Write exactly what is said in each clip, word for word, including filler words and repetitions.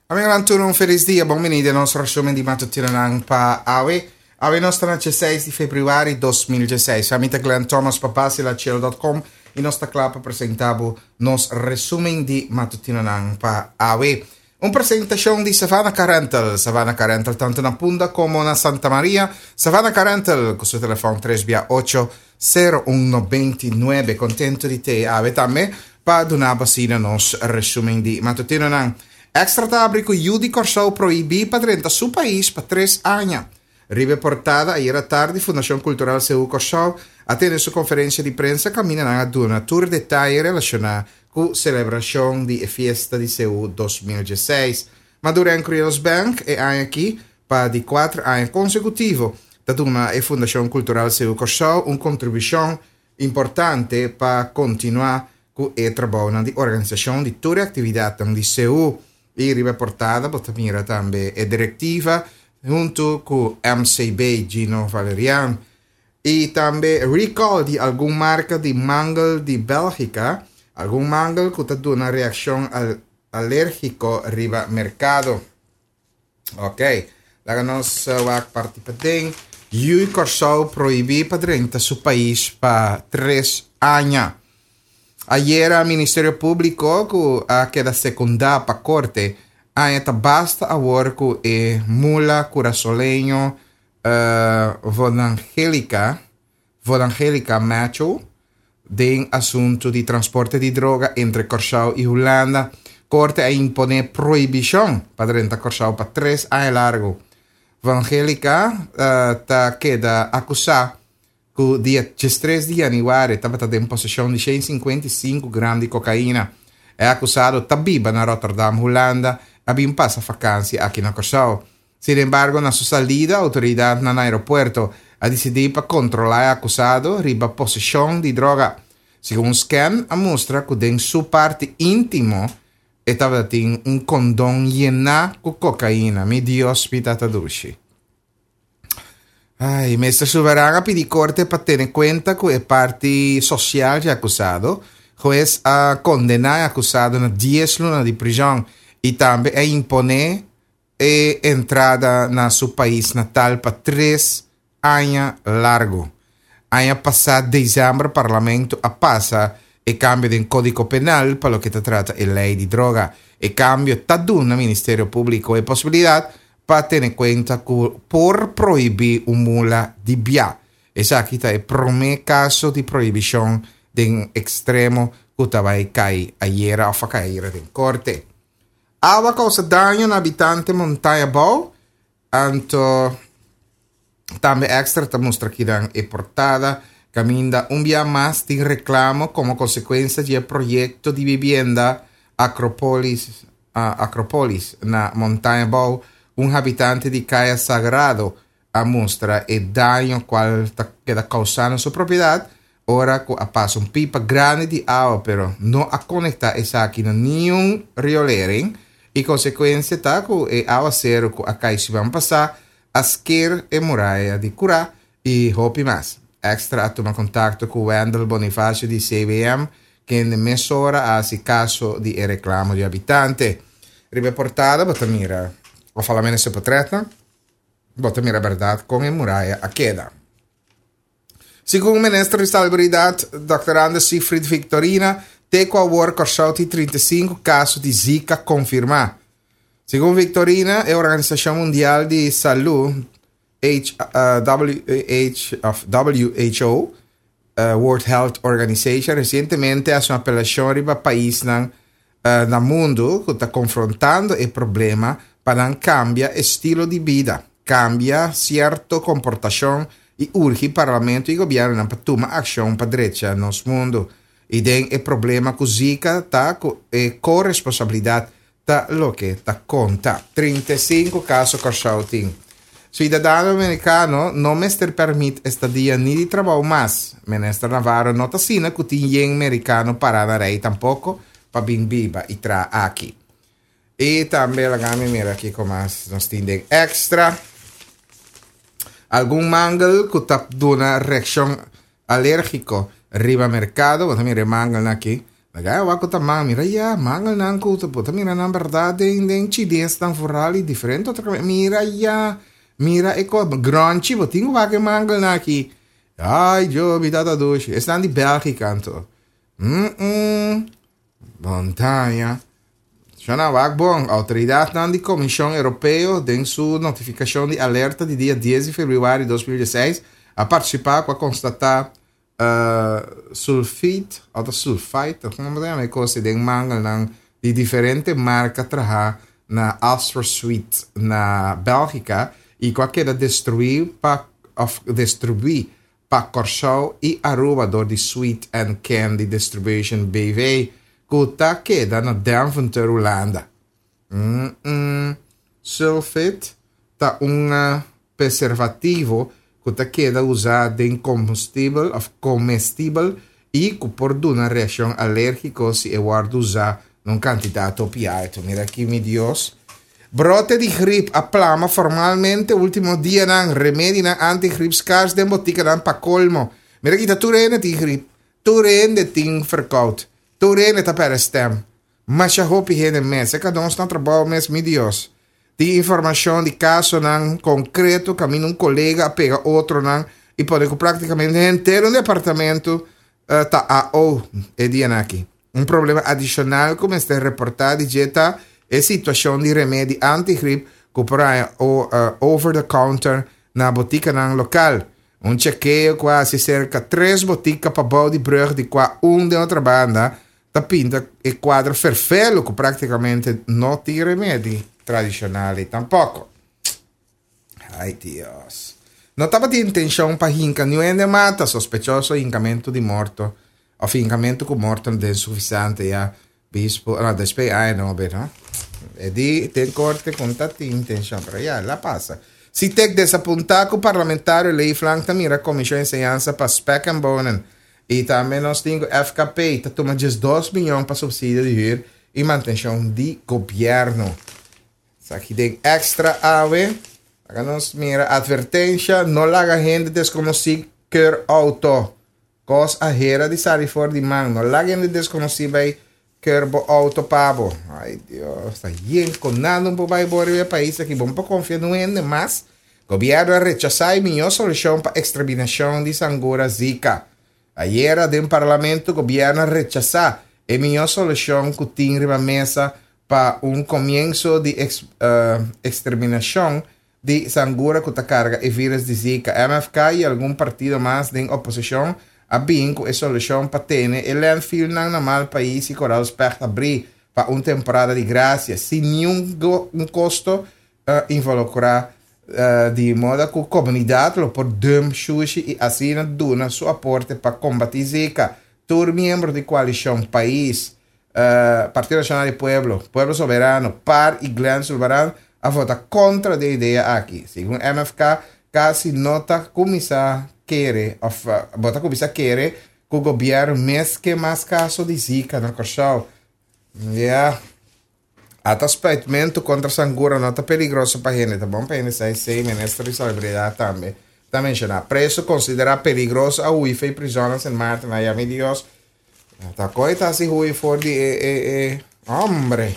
Amigonan tur, un felis dia, bon bini na nos resumen di matutinonan pa awe. Awe nos ta na diesseis di februari dos mil diesseis. Ami ta Glenn Thomas pa basilachel punto com i nos ta kla pa presentá nos resumen di matutinonan pa awe. Un presentashon di Savannah Car Rental. Savannah Car Rental tantu na Punda komo na Santa Maria. Savannah Car Rental ku su telefòn tres ocho sero un nobenta i nuebe. Kontentu di ta awe tambe pa duna nos resumen di matutinonan. Extra ta habri ku yu di Kòrsou prohibí pa drenta su pais pa tres aña. Riba portada, ayera tardi, Fundashon Kultural Seú Kòrsou a tene su konferensia di prensa kaminda nan a duna tur detaye relashoná ku selebrashon di fiesta di Seú dos mil diesseis. Maduren Creoles Bank e aña aki pa di kuater aña konsekutivo ta duna e Fundashon Kultural Seú Kòrsou un kontribushon importante pa kontinuá ku e trabou di organisashon di tur aktividat di Seú. I riba portada, bo ta mira tambe e direktiva huntu ku M C B Gino Valerian. I tambe recall di algun marka di mangel di Bélgika, algun mangel ku ta duna reakshon al alérgiko riba merkado. Ok, laga nos wak parti paden. Yu Kòrsou prohibí pa drenta su pais pa tres aña. Ayera Ministerio Públiko ku a keda sekundá pa korte a ta basta awor ku e mula kurasoleño uh, Vonangelica Vonangelica Macho den asuntu di transporte di droga entre Kòrsou i Hulanda. Korte a imponé prohibishon pa drenta Kòrsou pa tres aña largu. Evangelica uh, ta keda akusá ku dia diestres di yanüari tabata den poseshon di shen sinkuenta i sinku gram di kokaina. E akusado ta biba na Rotterdam, Hulanda, a bin pasa vakansi aki na Kòrsou. Sin embargo, na su salida, outoridat na aeropuerto a disidí pa kontrolá e akusado riba poseshon di droga. Segun scan, a mustra ku den su parti íntimo tabatin un kondon yená ku kokaina. Mi Dios, mi Tata dushi. Ai, Minister Sulvaran a pidi korte pa tene kuenta ku e parti sosial di akusado. Hues a kondená e akusado na dies luna di prizòn i tambe a imponé e entrada na su pais natal pa tres aña largu. Aña pasá, desèmber, parlamento a pasa e kambio di kódigo penal pa loke ta trata e lei di droga. E kambio ta duna Ministerio Públiko e posibilidat pa tene kuenta ku por prohibí un mula di bia. Esaki ta e promé kaso di prohibishon di ekstremo ku tabata kai ayera òf kai den korte. Awa a kousa daño na habitante Montaña Bou, anto tambe Extra ta mustra aki den e portada kaminda un dia mas tin reklamo komo konsekuensia di proyekto di bibienda Acropolis, uh, Acropolis na Montaña Bou. Un habitante di Kaya Sagrado a mustra e daño kual ta keda kousá na su propiedat ora ku a pasa un pipa grandi di awa, pero no a konektá esaki na ningun riolering i konsekuensia ta ku e awaseru ku a kai siman pasá a sker e muraya di kurá i hopi mas. Extra a tuma kontakto ku Wendel Bonifacio di C W M, ku mesora a hasi kaso di reklamo di habitante. Riba portada, bo ta mira, òf solamente portrèt, bo ta mira berdat kon e muraya a keda. Segun minister di Salubridat, Doctor Anders Seefried Victorina, te ku awor Kòrsou tin trinta i sinku kaso di Zika konfirmá. Segun Victorina, e Organisashon Mundial di Salú, H, uh, W H, of W H O, uh, World Health Organization, resientemente a hasi un apelashon riba paisnan uh, na mundu ku ta konfrontando e problema pa kambia estilo di bida, kambia sierto komportashon i urgi parlamento i gobièrnu pa tuma akshon pa drecha nos mundu. I den e problema ku Zika ta ku e koresponsabilidat ta loke ta konta. trinta i sinku kaso Kòrsou tin. Siudadano amerikano no mester pèrmit estadia ni di trabou mas. Minister Navarro no ta asina ku tin yen amerikano pará na rei tampoko pa bin biba i traha aki. I tambe laga mi mira aki kon mas nos tin Extra. Algun mangel ku ta duna reakshon alérgiko riba merkado. Bo mira mangel aki. Laga wak ku ta man, mira ya, mangelnan ku ta por mira nan berdat den den chinesnan vooral i diferente otro kaminda. Mira ya, mira e ko gronchi, bo tin ku wak e mangelnan aki. Ai, Dios, mi tata dushi. Esnan di Bélgika anto. Mm -mm. Montaña. Shona wak bon, outoridatnan di Komishon Europeo den su notifikashon di alerta di dia dies di febrüari dos mil dieseis a partisipá ku a konstatá uh, sulfit, òf sulfite, kon ta yama e kos den mangelnan di diferente marka trahá na Astra Sweet na Bélgika i ku a keda destruí pa òf distribuí pa Kòrsou i Aruba dor di Sweet and Candy Distribution B V ku ta keda na Deventer, Hulanda. Mm -mm. Sulfit ta un preservativo ku ta keda usá den kombustibel òf komestibel i ku por duna reakshon alérgiko si e wòrdu usá na un kantidat hopi altu. Mira aki, mi Dios. Brote di grip a plama formalmente último dianan, remedinan anti-grip skars den botikanan pa kolmo. Mira aki, ta tur hende tin grip, tur hende tin verkoud, tur hende ta pèrdè stem. Masha hopi hende mes, e kada nos na trabou mes, mi Dios. Tin informashon di kasonan konkreto kaminda un kolega a pega otronan i pone ku práktikamente henter un departamento uh, ta A O e dianan aki. Un problema adishonal ku mester reportá di dje ta e situashon di remedi anti-grip ku por haña o, uh, over the counter na botikanan lokal. Un chekeo ku a hasi serka tres botika pabou di brùg, di kua un den Otrabanda, ta pinta e kuadro ferfelu ku práktikamente no tin remedi tradishonal tampoko. Ai, Dios. No tabatin intenshon pa hinka niun hende mata, sospechoso hinkamentu di morto òf hinkamentu ku morto den sufisiente ya bispo, no, despues ai no be no. E di den korte ku no tin intenshon, pero ya la pasa. Sitek desapuntá ku parlamentario Leeflang ta mira komishon enseñansa pa spek en bonen. I tambe nos tin ku F K P ta tuma diesdos mion pa supsidio di hür i mantenshon di gobièrnu. Esaki den Extra awe. Awor nos mira atvertensia, no laga hende deskonosí kùr outo. Kos a hera di sali for di man. No laga hende deskonosí bai kùr bo outo pa bo. Ai Dios, ta yen kon nada un por bai bo riba e pais aki. Bo no por konfia niun hende mas. Gobièrnu a rechasá e mihó solushon pa eksterminashon di sangura Zika. Ayera den parlamento gobièrnu a rechasá e mihó solushon ku tin riba mesa pa un komienso di eks, uh, eksterminashon di sangura ku ta karga e vírùs di Zika. M F K i algun partido mas den oposishon a bin ku e solushon pa tene e landfill nan na Malpais i Koraal Specht habrí pa un temporada di grasia, sin ningun un kosto uh, involukrá, uh, di moda ku komunidat lo por dump shushi i asina duna su aporte pa kombatí Zika. Tur miembro di koalishon Pais, uh, Partido Nashonal di Pueblo, Pueblo Soberano, PAR i Glenn Sulvaran a vota kontra e idea aki. Segun M F K, kasi no ta kuminsá kere, òf uh, bo ta kuminsá kere ku gobièrnu mes ke mas kaso di Zika na Kòrsou. Yeah. Ata spuitmentu kontra sangura no ta peligroso pa hende. Ta bon pa hende sa esei, minister di Salubridat tambe ta menshoná. Preso konsiderá peligroso a hui for di prizòn na Sint Maarten. Ai, mi Dios. Ta koi ta si hui for di e, e, e, hombre.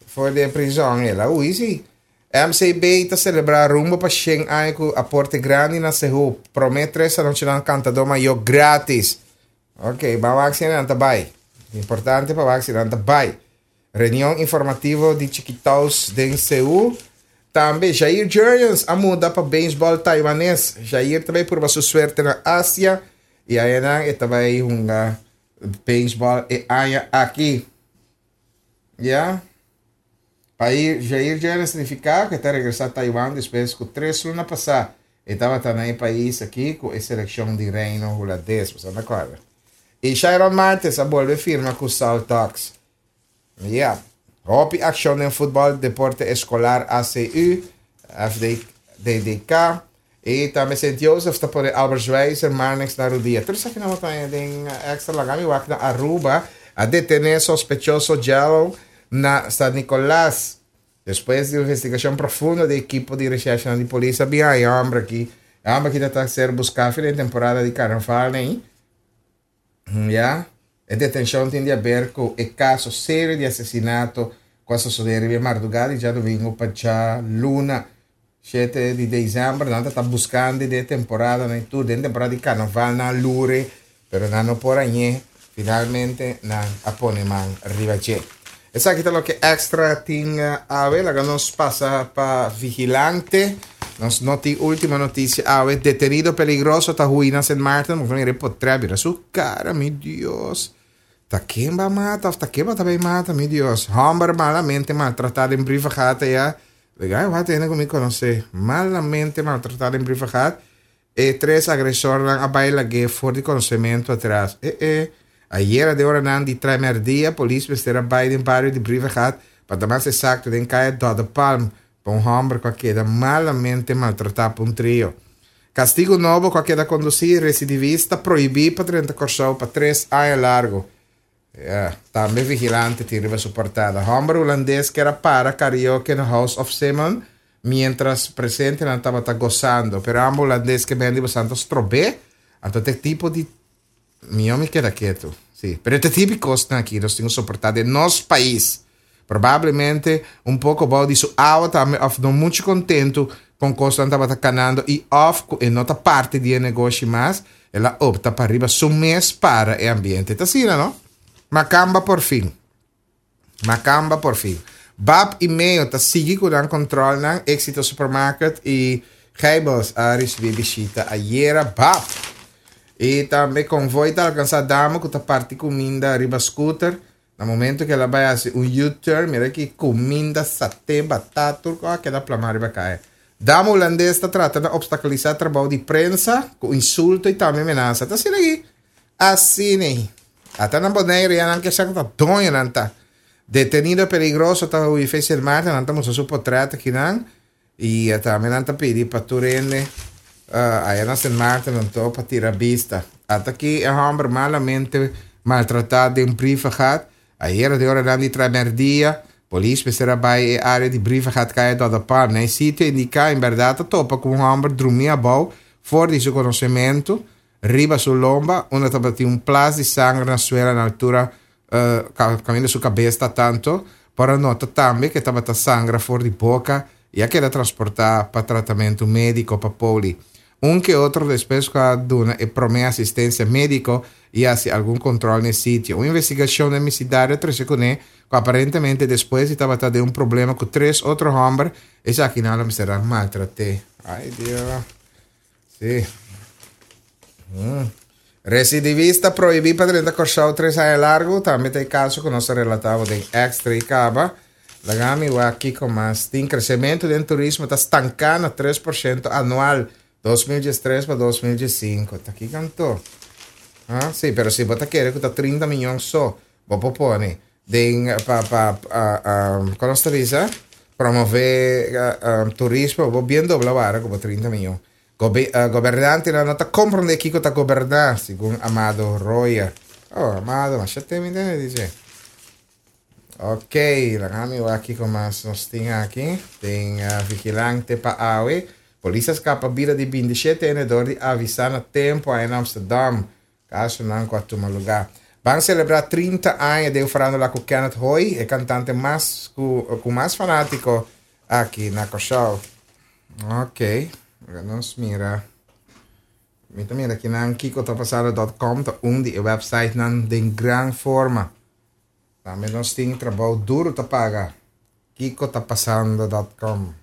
For di prizòn, el a hui si. M C B ta selebrá rumbo pa shen aña ku aporte grandi na Seú. Promé tres anochinan kantadó mayó gratis. Ok, ban vaksiná bai. Importante pa vaksiná bai. Reunion informativo di Chiquitaus den Seú. Tambe Jair Jurrjens a muda pa beisbòl taiwanês. Jair tambe purba su suerte na Asia. I einan e ta bai hunga beisbòl e aña aki. Ja? Pa Jair Jurrjens signifiká ku e ta regresá Taiwan despues ku tres luna pasá e tabata na pais aki ku e selekshon di Reino Hulandes. Bo ta kòrda? I Shairon Martis a bolbe firma ku Saltox. Yeah. Hopi akshon den futbòl, deporte eskolar A C U, F D, D D K. I tambe Saint Joseph ta pone Albert Schweitzer, Marnix na rudia. Tur esaki nan den Extra. Laga mi wak na Aruba a detené sospechoso Jello na San Nicolas. Despues di investigashon profundo di ekipo di recherche di polis, a bin e hòmber aki. E hòmber aki ta ser buská den temporada di karnaval, ne? Ja. E detenshon tin di aber ku e kaso serio di asesinato ku a sosodé riba mardugá di djadumingu pa djaluna shete di desèmber. Nan ta buskando den temporada nan tur den temporada di karnaval nan a lur'é, pero nan no por hañ'é. Finalmente nan a pone man riba dje. Esaki ta loke Extra tin awe. Laga nos pasa pa Vigilante. Nos noti último notisia awe. Detenido peligroso ta hui na Sint Maarten. Bo mira e potrèt, mira su kara, mi Dios. Ta ken ba mata of ta ken ba ta bay mata, mi Dios. Hòmber malamente maltratá den Brievengat ya. Legal, wak hende ku mi konosé. Malamente maltratá den Brievengat. E tres agresornan a bai lag'é for di konosementu atras. E e. Ayera den oranan di traimerdia polis mester a bai den bario di Brievengat, pa ta mas esakto den kaya Dòde Palm, pa un hòmber ku a keda malamente maltratá pa un trio. Kastigu nobo ku a keda kondusí residivista prohibí pa drenta Kòrsou pa tres aña largu. Ya, tambe Vigilante tin riba su portada. Hòmber hulandes kier a para karaoke na House of Simon miéntras presentenan tabata gosando, pero ambos hulandes ke bende bosan ta strob'é, anto ta e tipo di mihó mi keda ketu. Sí, pero e tipo di kosnan aki nos tin ku soportá den nos pais. Probablemente un poko bou di su awa tambe òf no muchu kontentu kon kosnan tabata kanando i òf ku e no ta parti di e negoshi mas, el a opta pa riba su mes para e ambiente. Ta asina, no? Makamba por fin. Makamba por fin. Bab i Meo ta sigui ku nan kòntròlnan. Éxito Supermarket i Gijbels a risibí bishita ayera. Bab i tambe konvoi ta alkansá dama ku ta parti kuminda riba skuter. Na momento ku el a bai hasi un U-turn, mira ki kuminda, saté, batata, tur kos a keda plamá riba kaya. Dama hulandes ta trata na obstakulisá trabou di prensa ku insulto i tambe menasa. Ta asina aki. Asina ei. Ata na Bonaire ya nan ke sa ku ta doño nan ta. Detenido peligroso ta hui fe Sint Maarten, nan ta mustra su potret akinan i tambe nan ta pidi pa tur hende aya na Sint Maarten anto pa tira bista. Ata aki e hòmber malamente maltratá den Brievengat. Ayera den oranan di tramerdia, polis mester a bai e área di Brievengat Kaya Dòdapalm. Na e sitio indiká, en bèrdat a topa ku un hòmber drumí abou for di su konosementu riba su lomba, unda tabatin un plas di sanger na suela na altura kaminda su kabes ta tanto. Por a nota tambe ku e tabata sangra for di boka i a keda transportá pa tratamentu médiko pa poli. Un ke otro despues ku a duna e promé asistensia médiko i hasi algun kòntròl na e sitio. Un investigashon den bisidario a trese kuné ku aparentemente despues di tabata den un problema ku tres otro hòmber, esakinan lo mester a maltrat'é. Ai Dios. Sí. Mm. Residivista prohibí pa drenta Kòrsou tres aña largu, tambe ta e kaso ku nos a relatá bo den Extra i kaba. Laga mi wak kiko mas tin. Kresementu den turismo ta stanká na tres por shento anual dos mil diestres pa dos mil diesinku. Ta kiko anto? Ha? Sí, pero si bo ta kere ku ta trinta miyon so bo por pone den pa pa kon nos ta bisa? Promové turismo bo bien dobla wara ku bo trinta miyon. Gobe, uh, gobernantenan no ta comprende kiko ta goberná, segun Amado Royer. Oh, Amado, masha temi tene dice. Ok, laga mi wak kiko mas nos tin aki. Tin uh, vigilante pa awe. Polis a skapa bida di binti shete hende dor di avisá na tempo aya na Amsterdam. Kasonan ku a tuma lugá. Ban selebrá trinta aña den farándula ku Kenneth Hooi, e kantante mas ku, ku mas fanátiko aki na Kòrsou. Ok, laga nos mira. Mi ta mira kinan kiko ta pasando dot com ta un di e websitenan den gran forma. Tambe nos tin trabou duro ta paga. Kiko ta pasando dot com.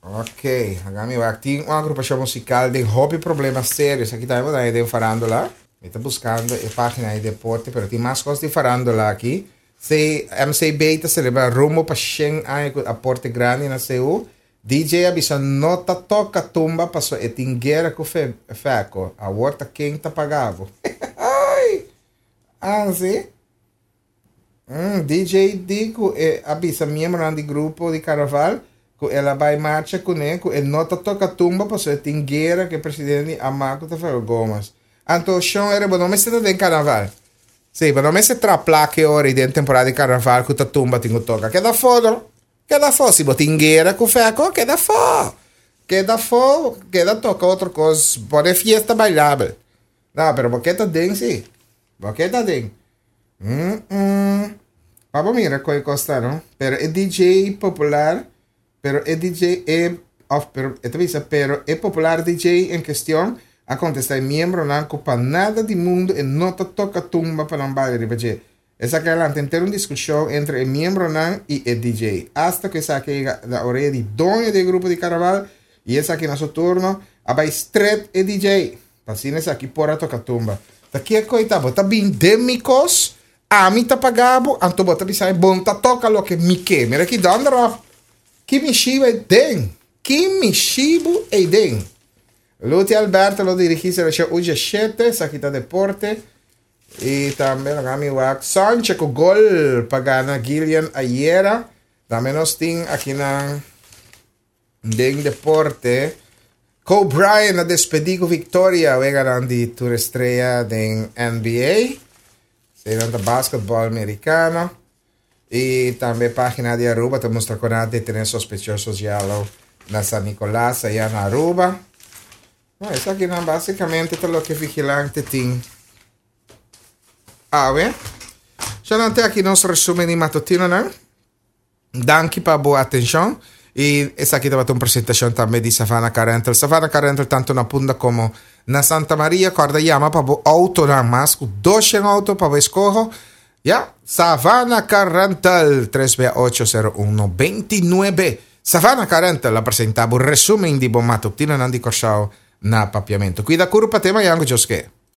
Ok, laga mi wak. Tin un agrupashon musikal den hopi problema serio. Esaki tambe bo ta haña den farándula. Mi ta buskando e página di deporte, pero tin mas kos di farándula aki. C M C B ta celebra rumbo pa shen aña cu aporte grandi na C U. D J a bisa no ta toca tumba paso e tin guera cu Fe-, Feco. Awor ta ken ta paga bo? Ay! Ah, si? Mm, D J di cu e a bisa miembronan di grupo di carnaval cu el a bay marcha cune cu e no ta toca tumba paso e tin guera cu e presidente di Amaco ta Feco Gomez. Anto, Sean, ere bo no mester ta den carnaval. Sí, pero no mester tra placa ora y den temporada di carnaval cu ta tumba tin cu toca. Keda fo, no? Keda fo. Si bo tin guera cu Feco, keda fo. Keda fo, keda toca otro cos. Pone fiesta bailable. No, pero bo keda den, sí. Bo keda den. Mm -mm. Pa mira kon kos ta, no? Pero e D J popular, pero e D J e of pero e bisa, pero e popular D J en kuestion a kontestá e miembronan ku pa nada di mundu e no ta toka tumba pa nan baila riba dje. Esaki a lanta henter un diskushon entre e miembronan i e D J. Hasta ku esaki a yega na orea di doño di grupo di karnaval i esaki na su turno a bai stret e D J. Asina esaki por a toka tumba. Ta kiko ta bo ta bin den mi kos, ami ta paga bo, anto bo ta bisa bo n' ta toka loke mi ke. Mira ki donder op. Ki mishi bo den. Ki mishi bo den. Luti Alberto lo dirigí selekshon U diesshete, esaki ta deporte. I tambe mi wak Sanchez ku gol pa gana Gillian ayera. Tambe nos tin aki na den deporte. Kobe Bryant a despedí ku viktoria, wega di tur strea di N B A. Esei ta basketball amerikano. I tambe página di Aruba ta mustra ku a detené sospechoso na San Nicolas, aya na Aruba. No, esakinan básikamente ta loke Vigilante tin. Awe. Ya te aki nos resúmen di matutino, no? Danki pa bo atenshon. I esaki tabata un presentashon tambe di Savannah Car Rental. Savannah Car Rental tantu na Punda komo na Santa Maria. Kòrda yama pa bo outo na mas ku dos outo pa bo eskoho. Ya, Savannah Car Rental, tres ocho sero un noventa i nuebe. Savannah Car Rental a presentá e resúmen di bo matutino di Kòrsou na papiamentu. Kuida kurpa, te mañan, ku Dios ke.